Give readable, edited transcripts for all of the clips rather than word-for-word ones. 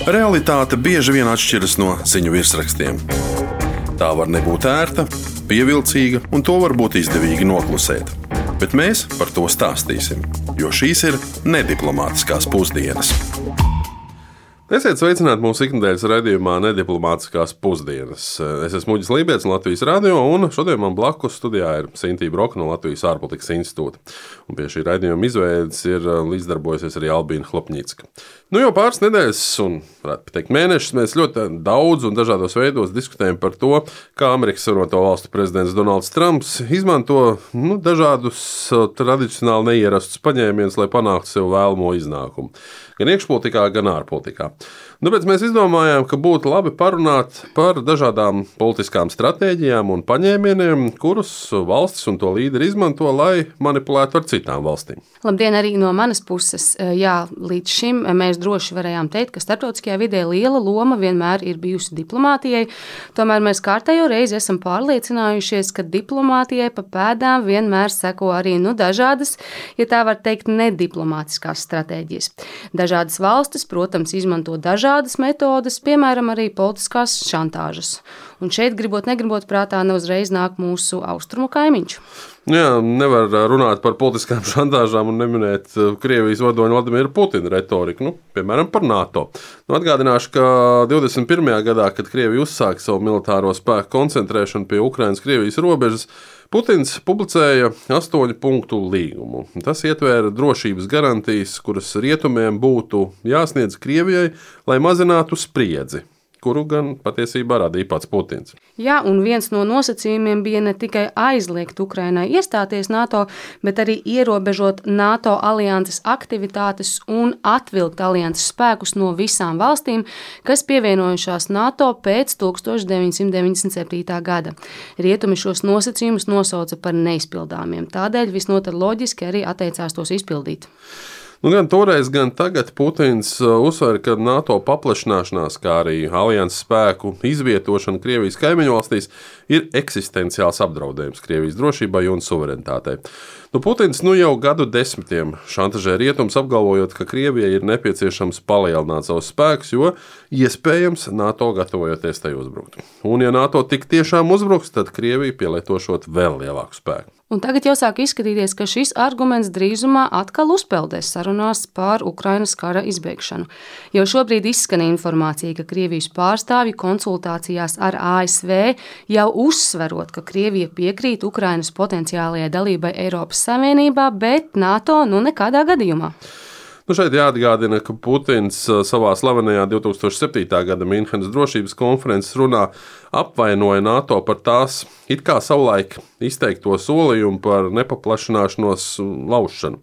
Realitāte bieži vien atšķiras no ziņu virsrakstiem. Tā var nebūt ērta, pievilcīga, un to var būt izdevīgi noklusēt. Bet mēs par to stāstīsim, jo šīs ir nediplomātiskās pusdienas. Esiet sveicināti mūsu ikdienas raidījumā Nediplomātiskās pusdienas. Es esmu Uģis Lībijams no Latvijas radio, un šodien man blakus studijā ir Sintīna Broka no Latvijas ārpolitikas institūta. Un pie šī raidījuma izveides ir līdzdarbojusies arī Albīna Hlopņicka. Jau pāris nedēļas, un varētu teikt mēnešus, mēs ļoti daudz un dažādos veidos diskutējam par to, kā Amerikas Savienoto Valstu prezidents Donalds Trumps izmanto dažādus tradicionāli neierastus paņēmienus, lai panāktu sev vēlamo iznākumu. Gan iekšpolitikā, gan ārpolitikā. Tāpēc mēs izdomājām, ka būtu labi parunāt par dažādām politiskām stratēģijām un paņēmieniem, kurus valstis un to līderi izmanto, lai manipulētu ar citām valstīm. Labdien, arī no manas puses. Jā, līdz šim mēs droši varējām teikt, ka starptautiskajā vidē liela loma vienmēr ir bijusi diplomātijai. Tomēr mēs kārtējo reizi esam pārliecinājušies, ka diplomātijai pa pēdām vienmēr seko arī dažādas, ja tā var teikt, nediplomātiskās stratēģijas. Dažādas valstis, protams, izmanto dažādas metodes, piemēram, arī politiskās šantāžas. Un šeit, gribot, negribot, prātā neuzreiz nāk mūsu austrumu kaimiņš. Jā, nevar runāt par politiskām šantāžām un neminēt Krievijas vadoņa Vladimira Putina retoriku, piemēram, par NATO. Atgādināšu, ka 21. gadā, kad Krievija uzsāka savu militāro spēku koncentrēšanu pie Ukrainas-Krievijas robežas, Putins publicēja 8 punktu līgumu. Tas ietvēra drošības garantijas, kuras rietumiem būtu jāsniedz Krievijai, lai mazinātu spriedzi, kuru gan patiesībā radīja pats Putins. Jā, un viens no nosacījumiem bija ne tikai aizliegt Ukrainai iestāties NATO, bet arī ierobežot NATO alianses aktivitātes un atvilkt alianses spēkus no visām valstīm, kas pievienojušās NATO pēc 1997. gada. Rietumi šos nosacījumus nosauca par neizpildāmiem, tādēļ visnotaļ loģiski arī atteicās tos izpildīt. Gan toreiz, gan tagad Putins uzsver, ka NATO paplašināšanās, kā arī alianses spēku izvietošana Krievijas kaimiņu valstīs ir eksistenciāls apdraudējums Krievijas drošībai un suverenitātei. Putins jau gadu desmitiem šantažē rietums, apgalvojot, ka Krievijai ir nepieciešams palielināt savus spēkus, jo iespējams NATO gatavojoties tai uzbrukt. Un ja NATO tik tiešām uzbruks, tad Krievija pielietošot vēl lielāku spēku. Un tagad jau sāk izskatīties, ka šis arguments drīzumā atkal uzpeldēs sarunās par Ukrainas kara izbeigšanu. Jau šobrīd izskan informācija, ka Krievijas pārstāvji konsultācijās ar ASV jau uzsverot, ka Krievija piekrīt Ukrainas potenciālajai dalībai Eiropas Savienībā, bet NATO nekādā gadījumā. Šeit jāatgādina, ka Putins savā slavenajā 2007. gada Minhenes drošības konferences runā apvainoja NATO par tās it kā savulaik izteikto solījumu par nepaplašināšanos laušanu.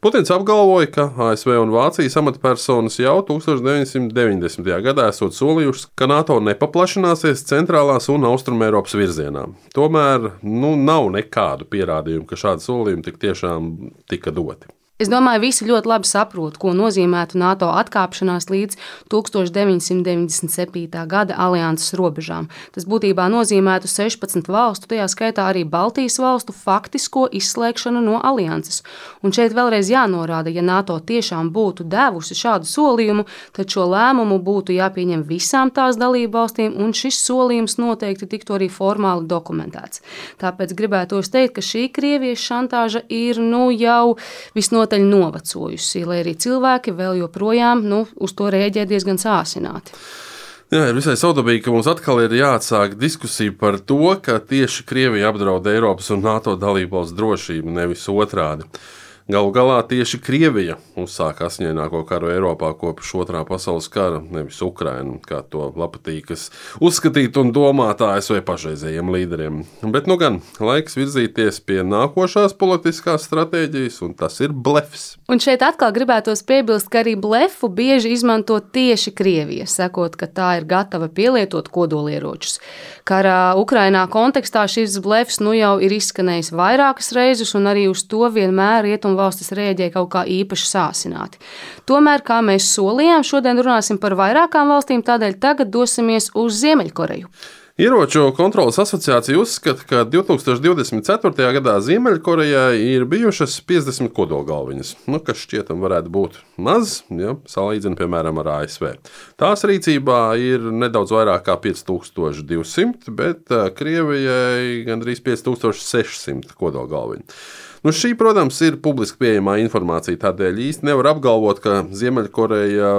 Putins apgalvoja, ka ASV un Vācijas amatpersonas jau 1990. gadā esot solījušas, ka NATO nepaplašināsies centrālās un austrumēropas virzienā. Tomēr nav nekādu pierādījumu, ka šādi solījumi tik tiešām tika doti. Es domāju, visi ļoti labi saprot, ko nozīmētu NATO atkāpšanās līdz 1997. gada alianses robežām. Tas būtībā nozīmētu 16 valstu, tajā skaitā arī Baltijas valstu faktisko izslēgšanu no alianses. Un šeit vēlreiz jānorāda, ja NATO tiešām būtu devusi šādu solījumu, tad šo lēmumu būtu jāpieņem visām tās dalību valstīm, un šis solījums noteikti tiktu arī formāli dokumentēts. Tāpēc gribētos teikt, ka šī Krievijas šantāža ir jau visnotaļ novecojusi, lai arī cilvēki vēl joprojām uz to rēģē diezgan sāsināti. Jā, ir visai saudabīgi, ka mums atkal ir jāatsāk diskusija par to, ka tieši Krievija apdraud Eiropas un NATO dalībvalstu drošību, nevis otrādi. Galu galā tieši Krievija uzsāka asiņaināko karu Eiropā kopš Otrā pasaules kara, nevis Ukraina, kā to patīkas uzskatīt un domāt ASV pašreizējiem līderiem. Bet gan laiks virzīties pie nākošās politiskās stratēģijas, un tas ir blefs. Un šeit atkal gribētos piebilst, ka arī blefu bieži izmanto tieši Krievija, sakot, ka tā ir gatava pielietot kodolieročus. Karā Ukrainā kontekstā šis blefs jau ir izskanējis vairākas reizes, un arī uz to vienmēr rietumvalstis rēģēja kaut kā īpaši sāsināti. Tomēr, kā mēs solījām, šodien runāsim par vairākām valstīm, tādēļ tagad dosimies uz Ziemeļkoreju. Ieroču kontrolas asociācija uzskata, ka 2024. gadā Ziemeļkorejai ir bijušas 50 kodolgalviņas, kas šķietam varētu būt maz, ja salīdzina piemēram ar ASV. Tās rīcībā ir nedaudz vairāk kā 5200, bet Krievijai gandrīz 5600 kodolgalviņu. Šī, protams, ir publiski pieejamā informācija, tādēļ īsti nevar apgalvot, ka Ziemeļkoreja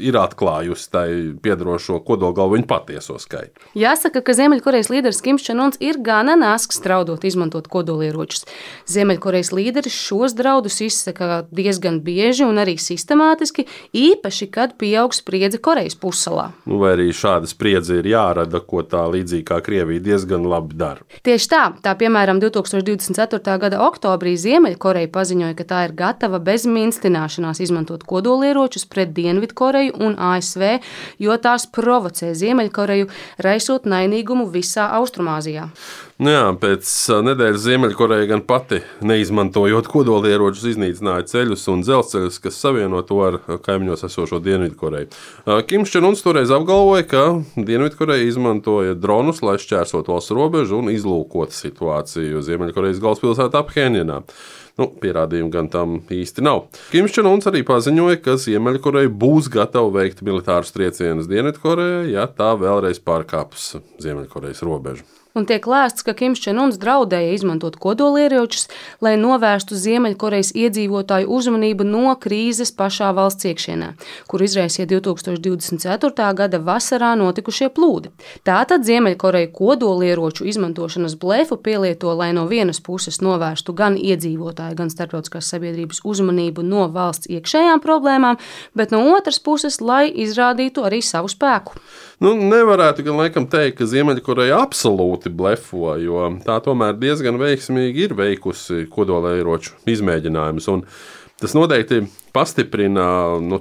ir atklājusi tai piedarošo kodolgalviņu patieso skaitu. Jāsaka, ka Ziemeļkorejas līderis Kims Čen Uns ir gana nasks draudot izmantot kodolieročus. Ziemeļkorejas līderis šos draudus izsaka diezgan bieži un arī sistemātiski, īpaši, kad pieaug spriedze Korejas pussalā. Vai arī šāda spriedze ir jārada, ko tā līdzīgi kā Krievija diezgan labi dara. Tieši tā piemēram 2024. gada oktobrī Ziemeļkoreja paziņoja, ka tā ir gatava bez minstināšanās izmantot kodolieročus pret Dienvidkoreju un ASV, jo tās provocē Ziemeļkoreju, raisot naidīgumu visā Austrumāzijā. Pēc nedēļas Ziemeļkoreja gan pati, neizmantojot kodolieročus, iznīcināja ceļus un dzelzceļus, kas savieno to ar kaimiņos esošo Dienvidkoreju. Kims Čen Uns toreiz apgalvoja, ka Dienvidkoreja izmantoja dronus, lai šķērsot valsts robežu un izlūkot situāciju Ziemeļkorejas galvaspilsētā Phenjanā. Pierādījumu gan tam īsti nav. Kims Čen Uns arī paziņoja, ka Ziemeļkoreja būs gatava veikt militārus triecienus Dienvidkorejai, ja tā vēlreiz pārkāps Ziemeļkorejas robežu. Un tiek lēsts, ka Kims Čen Uns draudēja izmantot kodolieročus, lai novērstu Ziemeļkorejas iedzīvotāju uzmanību no krīzes pašā valsts iekšienē, kur izraisīja 2024. gada vasarā notikušie plūdi. Tātad Ziemeļkoreja kodolieroču izmantošanas blefu pielieto, lai no vienas puses novērstu gan iedzīvotāju, gan starptautiskās sabiedrības uzmanību no valsts iekšējām problēmām, bet no otras puses, lai izrādītu arī savu spēku. Nevarētu gan laikam teikt, ka Ziemeļkoreja absolūti blefo, jo tā tomēr diezgan veiksmīgi ir veikusi kodolieroču izmēģinājumus. Tas noteikti pastiprina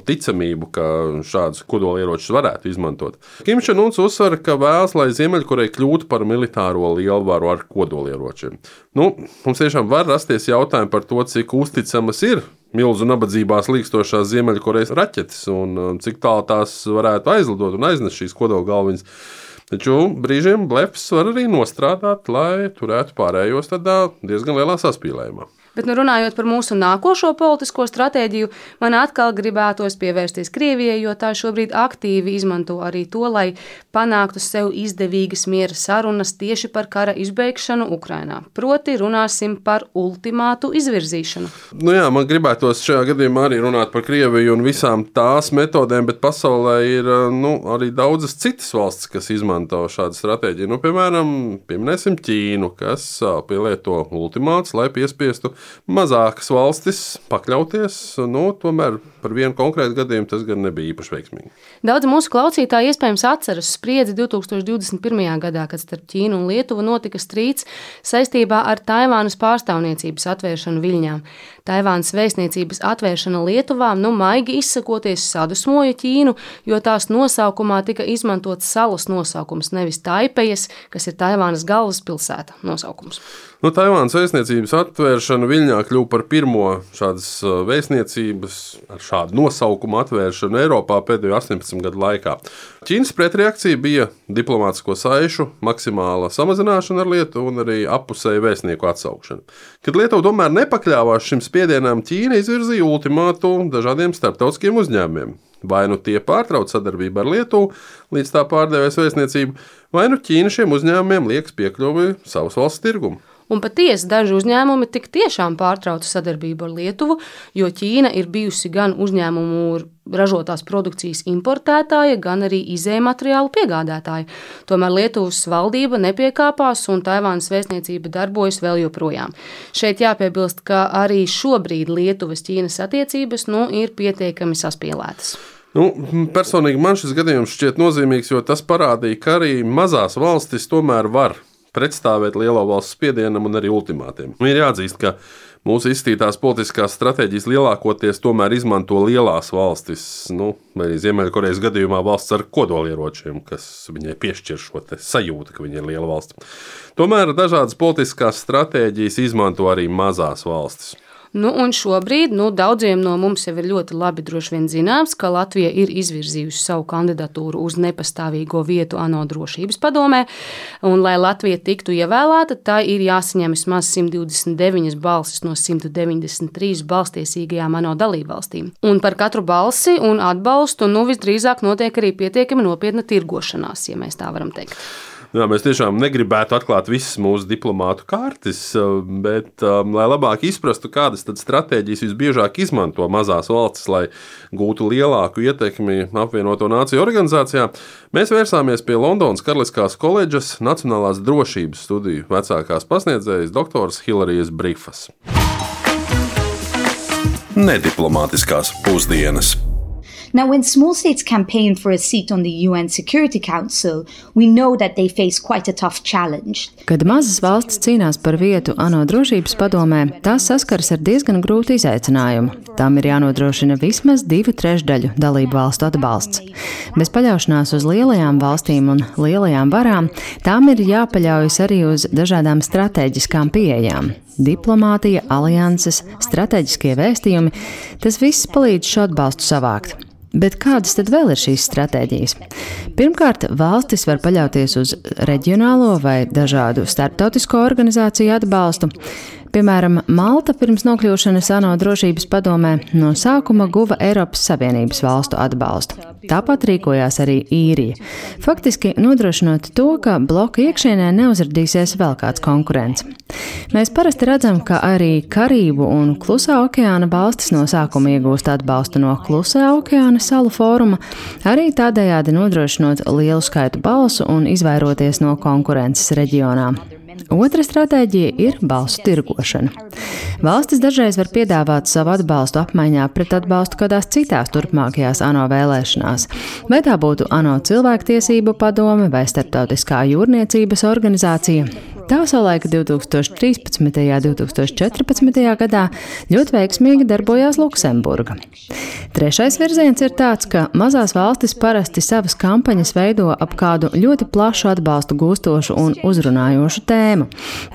ticamību, ka šādus kodolieročus varētu izmantot. Kims Čen Uns uzsver, ka vēlas, lai Ziemeļkoreja kļūtu par militāro lielvaru ar kodolieročiem. Mums tiešām var rasties jautājumi par to, cik uzticamas ir milzu nabadzībās līkstošās Ziemeļkorejas raķetes un cik tālu tās varētu aizlidot un aiznest šīs kodolgalviņas. Taču brīžiem blefs var arī nostrādāt, lai turētu pārējos tādā diezgan lielā saspīlējumā. Bet runājot par mūsu nākošo politisko stratēģiju, man atkal gribētos pievērsties Krievijai, jo tā šobrīd aktīvi izmanto arī to, lai panāktu sev izdevīgas miera sarunas tieši par kara izbeigšanu Ukrainā. Proti runāsim par ultimātu izvirzīšanu. Man gribētos šajā gadījumā arī runāt par Krieviju un visām tās metodēm, bet pasaulē ir arī daudzas citas valstis, kas izmanto šādu stratēģiju. Piemēram, pieminēsim Ķīnu, kas pielieto ultimātus, lai piespiestu mazākas valstis pakļauties, tomēr par vienu konkrētu gadījumu tas gan nebija īpaši veiksmīgi. Daudz mūsu klausītāji iespējams atceras spriedzi 2021. gadā, kad starp Ķīnu un Lietuvu notika strīds saistībā ar Taivānas pārstāvniecības atvēršanu Viļņā. Taivānas vēstniecības atvēršana Lietuvā, maigi izsakoties, sadusmoja Ķīnu, jo tās nosaukumā tika izmantots salas nosaukums, nevis Taipejas, kas ir Taivānas galvaspilsēta nosaukums. Taivānas vēstniecības atvēršana Viļņā kļuva par pirmo šādas vēstniecības ar šādu nosaukumu atvēršanu Eiropā pēdējo 18 gadu laikā. Ķīnas pretreakcija bija diplomātisko saišu maksimāla samazināšana ar Lietuvu un arī appusēju vēstnieku atsaukšana. Kad Lietuva tomēr nepakļāvās šim spiedienam, Ķīna izvirzīja ultimātu dažādiem starptautiskiem uzņēmumiem. Vai tie pārtrauc sadarbību ar Lietuvu, līdz tā pārdevēs vēstniecību, vai Ķīna šiem uzņēmumiem liekas piekļuvi savas valsts tirgumu. Un patiesi daži uzņēmumi tik tiešām pārtrauca sadarbību ar Lietuvu, jo Ķīna ir bijusi gan uzņēmumu ražotās produkcijas importētāja, gan arī izējmateriālu piegādātāja. Tomēr Lietuvas valdība nepiekāpās un Taivānas vēstniecība darbojas vēl joprojām. Šeit jāpiebilst, ka arī šobrīd Lietuvas-Ķīnas attiecības ir pietiekami saspīlētas. Personīgi man šis gadījums šķiet nozīmīgs, jo tas parādīja, ka arī mazās valstis tomēr var pretstāvēt lielo valsts spiedienam un arī ultimātiem. Ir jāatzīst, ka mūsu izstītās politiskās stratēģijas lielākoties tomēr izmanto lielās valstis, vai arī Ziemeļkorejas gadījumā valsts ar kodolieročiem, kas viņai piešķir šo sajūtu, ka viņa ir liela valsts. Tomēr dažādas politiskās stratēģijas izmanto arī mazās valstis. Un šobrīd daudziem no mums jau ir ļoti labi droši vien zināms, ka Latvija ir izvirzījusi savu kandidatūru uz nepastāvīgo vietu ANO drošības padomē, un, lai Latvija tiktu ievēlēta, tā ir jāsaņem vismaz 129 balsis no 193 balstiesīgajām ANO dalībvalstīm. Un par katru balsi un atbalstu visdrīzāk notiek arī pietiekami nopietna tirgošanās, ja mēs tā varam teikt. Jā, mēs tiešām negribētu atklāt visas mūsu diplomātu kārtas, bet, lai labāk izprastu, kādas tad stratēģijas visbiežāk izmanto mazās valstis, lai gūtu lielāku ietekmi apvienoto nāciju organizācijā, mēs vērsāmies pie Londonas Karaliskās koledžas Nacionālās drošības studiju vecākās pasniedzējas doktoras Hilarijas Brifas. Nediplomātiskās pusdienas. Now, when small states campaign for a seat on the UN Security Council, we know that they face quite a tough challenge. Kad mazas valstis cīnās par vietu ANO drošības padomē, tās saskaras ar diezgan grūtu izaicinājumu. Tām ir jānodrošina vismaz 2/3 dalību valstu atbalsts. Bez paļaušanās uz lielajām valstīm un lielajām varām, tām ir jāpaļaujas arī uz dažādām stratēģiskām pieejām. Diplomātija, alianses, stratēģiskie vēstījumi – tas viss palīdz šo atbalstu savākt. Bet kādas tad vēl ir šīs stratēģijas? Pirmkārt, valstis var paļauties uz reģionālo vai dažādu starptautisko organizāciju atbalstu. Piemēram, Malta pirms nokļūšanas ANO drošības padomē no sākuma guva Eiropas Savienības valstu atbalstu. Tāpat rīkojās arī Īrija. Faktiski nodrošinot to, ka bloka iekšienē neuzradīsies vēl kāds konkurents. Mēs parasti redzam, ka arī Karību un Klusā okeāna valstis no sākuma iegūst atbalstu no Klusā okeāna salu fóruma, arī tādējādi nodrošinot lielu skaitu balsu un izvairoties no konkurences reģionā. Otra stratēģija ir balsu tirgošana. Valstis dažreiz var piedāvāt savu atbalstu apmaiņā pret atbalstu kādās citās turpmākajās ANO vēlēšanās, vai tā būtu ANO cilvēktiesību padome vai starptautiskā jūrniecības organizācija. Tā savulaik 2013. un 2014. gadā ļoti veiksmīgi darbojās Luksemburga. Trešais virziens ir tāds, ka mazās valstis parasti savas kampaņas veido ap kādu ļoti plašu atbalstu gūstošu un uzrunājošu tēmu,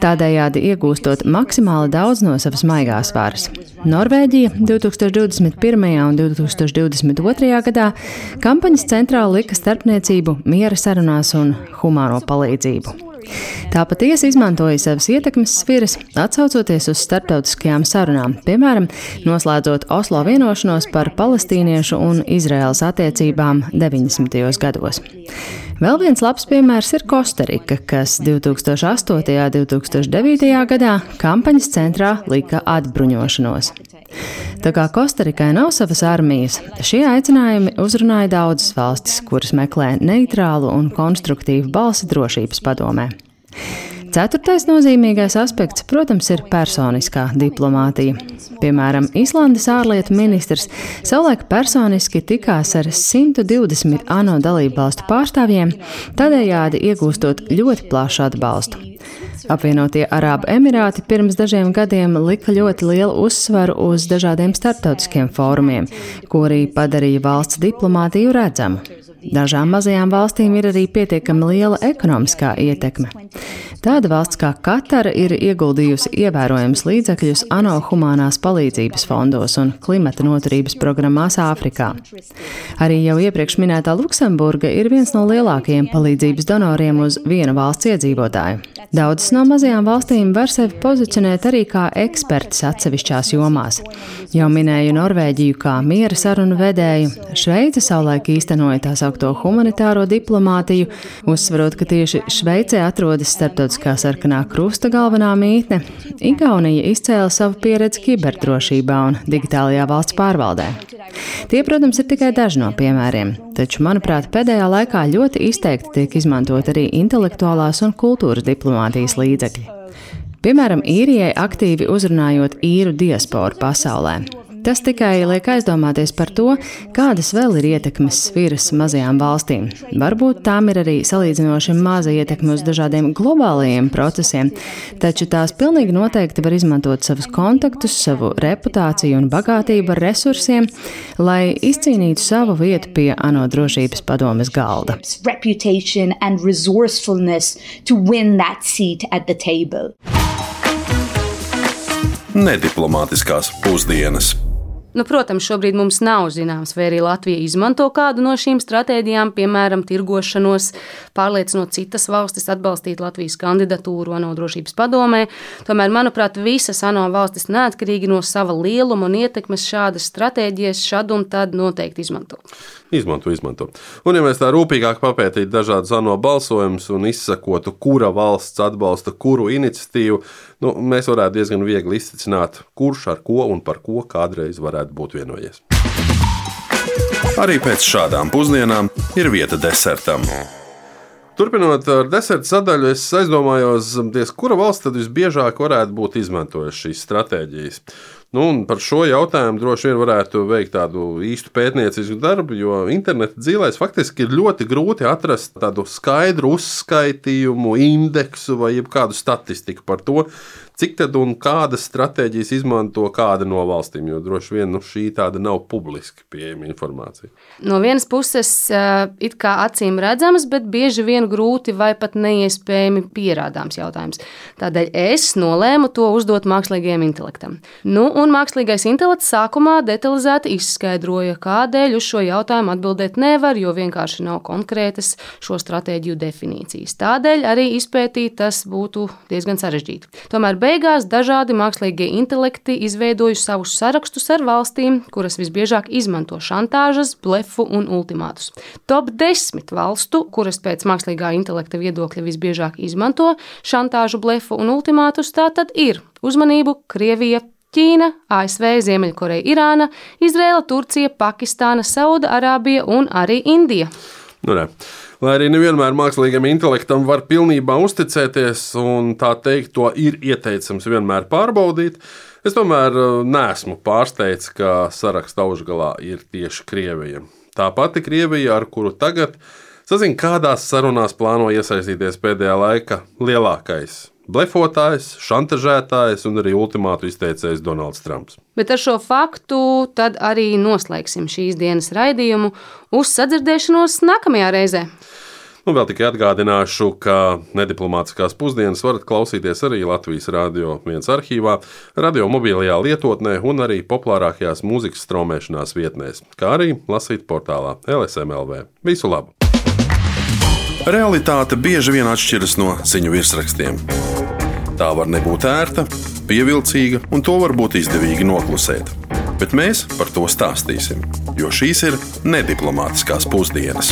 tādējādi iegūstot maksimāli daudz no savas maigās varas. Norvēģija 2021. un 2022. gadā kampaņas centrā lika starpniecību, miera sarunās un humāno palīdzību. Tā patiesi izmantoja savas ietekmes sfiras, atsaucoties uz starptautiskajām sarunām, piemēram, noslēdzot Oslo vienošanos par palestīniešu un Izraēlas attiecībām 90. gados. Vēl viens labs piemērs ir Kostarika, kas 2008. un 2009. gadā kampaņas centrā lika atbruņošanos. Tā kā Kostarikai nav savas armijas, šie aicinājumi uzrunāja daudzas valstis, kuras meklē neitrālu un konstruktīvu balsi drošības padomē. Ceturtais nozīmīgais aspekts, protams, ir personiskā diplomātija. Piemēram, Islandes ārlietu ministrs savulaik personiski tikās ar 120 ANO dalībvalstu pārstāvjiem, tādējādi iegūstot ļoti plašu atbalstu. Apvienotie Arābu Emirāti pirms dažiem gadiem lika ļoti lielu uzsvaru uz dažādiem starptautiskiem fórumiem, ko arī padarīja valsts diplomātiju redzamu. Dažām mazajām valstīm ir arī pietiekami liela ekonomiskā ietekme. Tāda valsts kā Katara ir ieguldījusi ievērojams līdzekļus ANO humānās palīdzības fondos un klimata noturības programmās Āfrikā. Arī jau iepriekš minētā Luksemburga ir viens no lielākajiem palīdzības donoriem uz vienu valsts iedzīvotāju. Daudzas no mazajām valstīm var sevi pozicionēt arī kā ekspertis atsevišķās jomās. Jau minēju Norvēģiju kā miera sarunu vedēju, Šveice savulaik īstenoja tā saukto humanitāro diplomātiju, uzsverot, ka tieši Šveicē atrodas starptautiskā sarkanā krusta galvenā mītne. Igaunija izcēla savu pieredzi kiberdrošībā un digitālajā valsts pārvaldē. Tie, protams, ir tikai daži no piemēriem, taču, manuprāt, pēdējā laikā ļoti izteikti tiek izmantot arī intelektuālās un kultūras diplomātijas līdzekļi. Piemēram, Īrijai aktīvi uzrunājot īru diasporu pasaulē. Tas tikai liek aizdomāties par to, kādas vēl ir ietekmes sfiras mazajām valstīm. Varbūt tām ir arī salīdzinoši maza ietekme uz dažādiem globālajiem procesiem, taču tās pilnīgi noteikti var izmantot savus kontaktus, savu reputāciju un bagātību ar resursiem, lai izcīnītu savu vietu pie ANO drošības padomes galda. Reputation and resourcefulness to win that seat at the table. nediplomātiskās pusdienas. Protams, šobrīd mums nav zināms, vai arī Latvija izmanto kādu no šīm stratēģijām, piemēram, tirgošanos, pārliecinot citas valstis atbalstīt Latvijas kandidatūru ANO drošības padomē. Tomēr, manuprāt, visas ANO valstis neatkarīgi no sava lieluma un ietekmes šādas stratēģijas šad un tad noteikti izmanto. Izmanto. Un, ja mēs tā rūpīgāk papētītu dažādus ANO balsojumus un izsakotu, kura valsts atbalsta kuru iniciatīvu, mēs varētu diezgan viegli izcicināt, kurš ar ko un par ko kādreiz varētu būt vienojies. Arī pēc šādām pusdienām ir vieta desertam. Turpinot ar deserta sadaļu, es aizdomājos, kura valsts tad visbiežāk varētu būt izmantojusi šīs stratēģijas. Un par šo jautājumu droši vien varētu veikt tādu īstu pētniecisku darbu, jo interneta dzīvēs faktiski ir ļoti grūti atrast tādu skaidru uzskaitījumu, indeksu vai kādu statistiku par to, cik tad un kādas stratēģijas izmanto kāda no valstīm, jo droši vien šī tāda nav publiski pieejama informācija. No vienas puses, it kā acīm redzamas, bet bieži vien grūti vai pat neiespējami pierādāms jautājums. Tādēļ es nolēmu to uzdot mākslīgajam intelektam. Un mākslīgais intelekts sākumā detalizēti izskaidroja, kādēļ uz šo jautājumu atbildēt nevar, jo vienkārši nav konkrētas šo stratēģiju definīcijas. Tādēļ arī izpētīt tas būtu diezgan sarežģīti. Tomēr beigās dažādi mākslīgie intelekti izveidojuši savus sarakstus ar valstīm, kuras visbiežāk izmanto šantāžas, blefu un ultimātus. Top 10 valstu, kuras pēc mākslīgā intelekta viedokļa visbiežāk izmanto šantāžu, blefu un ultimātus, tātad ir uzmanību Krievija, Ķīna, ASV, Ziemeļkoreja, Irāna, Izraela, Turcija, Pakistāna, Sauda-Arābija un arī Indija. Lai arī nevienmēr mākslīgam intelektam var pilnībā uzticēties un tā teikt, to ir ieteicams vienmēr pārbaudīt, es tomēr neesmu pārsteigts, ka saraksta augšgalā ir tieši Krievija. Tā pati Krievija, ar kuru tagad sazina, kādās sarunās plāno iesaistīties pēdējā laika lielākais blefotājs, šantažētājs un arī ultimātu izteicējs Donalds Trumps. Bet ar šo faktu tad arī noslēgsim šīs dienas raidījumu. Uz sadzirdēšanos nākamajā reizē. Vēl tikai atgādināšu, ka nediplomātiskās pusdienas varat klausīties arī Latvijas Radio 1 arhīvā, radio mobilajā lietotnē un arī populārākajās mūzikas straumēšanās vietnēs, kā arī lasīt portālā LSM.LV. Visu labu! Realitāte bieži vien atšķiras no ziņu virsrakstiem. Tā var nebūt ērta, pievilcīga, un to var būt izdevīgi noklusēt. Bet mēs par to stāstīsim, jo šīs ir nediplomātiskās pusdienas.